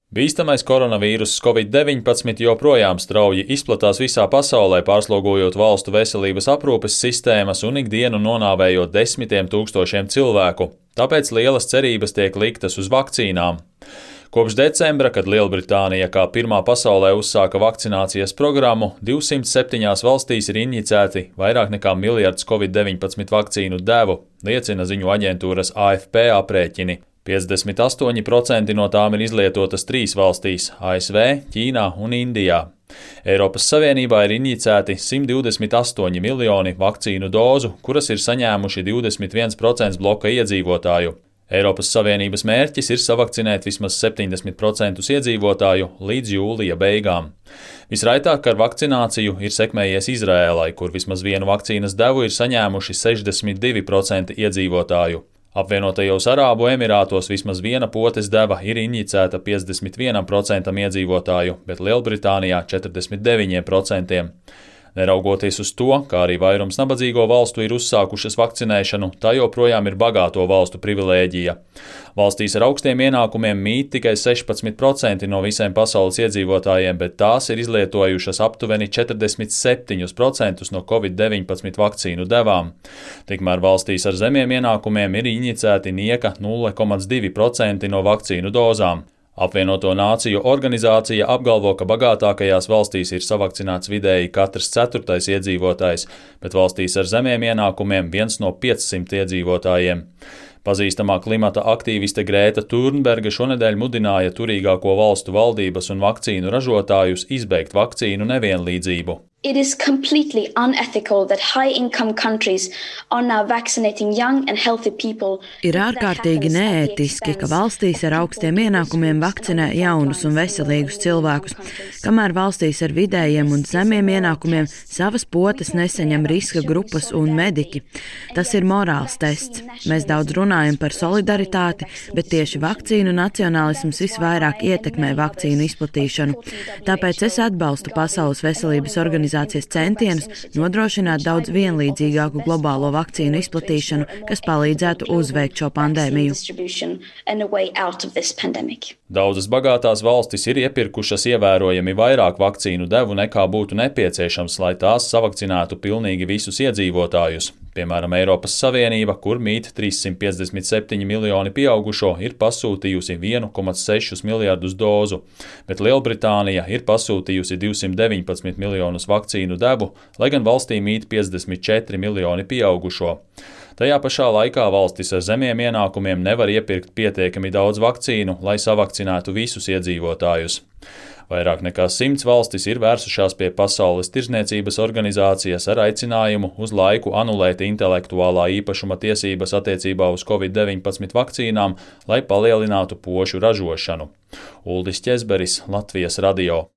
Bīstamais koronavīruss Covid-19 joprojām strauji izplatās visā pasaulē, pārslogojot valstu veselības aprūpes sistēmas un ikdienu nonāvējot desmitiem tūkstošiem cilvēku. Tāpēc lielas cerības tiek liktas uz vakcīnām. Kopš decembra, kad Lielbritānija kā pirmā pasaulē uzsāka vakcinācijas programmu, 207 valstīs ir injicēti vairāk nekā miljards Covid-19 vakcīnu devu, liecina ziņu aģentūras AFP aprēķini. 58% no tām ir izlietotas 3 valstīs – ASV, Ķīnā un Indijā. Eiropas Savienībā ir injicēti 128 miljoni vakcīnu dozu, kuras ir saņēmuši 21% bloka iedzīvotāju. Eiropas Savienības mērķis ir savakcinēt vismaz 70% iedzīvotāju līdz jūlija beigām. Visraitāk ar vakcināciju ir sekmējies Izrēlai, kur vismaz vienu vakcīnas devu ir saņēmuši 62% iedzīvotāju. Apvienotajos Arābu Emirātos vismaz viena potes deva ir injicēta 51% iedzīvotāju, bet Lielbritānijā 49%. Neraugoties uz to, kā arī vairums nabadzīgo valstu ir uzsākušas vakcinēšanu, tā joprojām ir bagāto valstu privilēģija. Valstīs ar augstiem ienākumiem mīt tikai 16% no visiem pasaules iedzīvotājiem, bet tās ir izlietojušas aptuveni 47% no Covid-19 vakcīnu devām. Tikmēr valstīs ar zemiem ienākumiem ir injicēti nieka 0,2% no vakcīnu dozām. Apvienoto Nāciju organizācija apgalvo, ka bagātākajās valstīs ir savakcinēts vidēji katrs 4. iedzīvotājs, bet valstīs ar zemiem ienākumiem 1 no 500 iedzīvotājiem. Pazīstamā klimata aktīviste Grēta Turnberga šonedēļ mudināja turīgāko valstu valdības un vakcīnu ražotājus izbeigt vakcīnu nevienlīdzību. It is completely unethical that high-income countries are now vaccinating young and healthy people. Ir ārkārtīgi neētiski, ka valstīs ar augstiem ienākumiem vakcinē jaunus un veselīgus cilvēkus, kamēr valstīs ar vidējiem un zemiem ienākumiem savas potes nesaņem riska grupas un mediķi. Tas ir morāls tests. Mēs daudz runājam par solidaritāti, bet tieši vakcīnu nacionālisms visvairāk ietekmē vakcīnu izplatīšanu. Tāpēc es atbalstu Pasaules veselības organizācijas centienus nodrošināt daudz vienlīdzīgāku globālo vakcīnu izplatīšanu, kas palīdzētu uzveikt šo pandēmiju. Daudzas bagātās valstis ir iepirkušas ievērojami vairāk vakcīnu devu nekā būtu nepieciešams, lai tās savakcinētu pilnīgi visus iedzīvotājus. Piemēram, Eiropas Savienība, kur mīt 357 miljoni pieaugušo, ir pasūtījusi 1,6 miljardus dozu, bet Lielbritānija ir pasūtījusi 219 miljonus vakcīnu devu, lai gan valstī mīt 54 miljoni pieaugušo. Tajā pašā laikā valstis ar zemiem ienākumiem nevar iepirkt pietiekami daudz vakcīnu, lai savakcinētu visus iedzīvotājus. Vairāk nekā 100 valstis ir vērsušās pie Pasaules tirdzniecības organizācijas ar aicinājumu uz laiku anulēt intelektuālā īpašuma tiesības attiecībā uz Covid-19 vakcīnām, lai palielinātu pošu ražošanu. Uldis Ķezberis, Latvijas radio.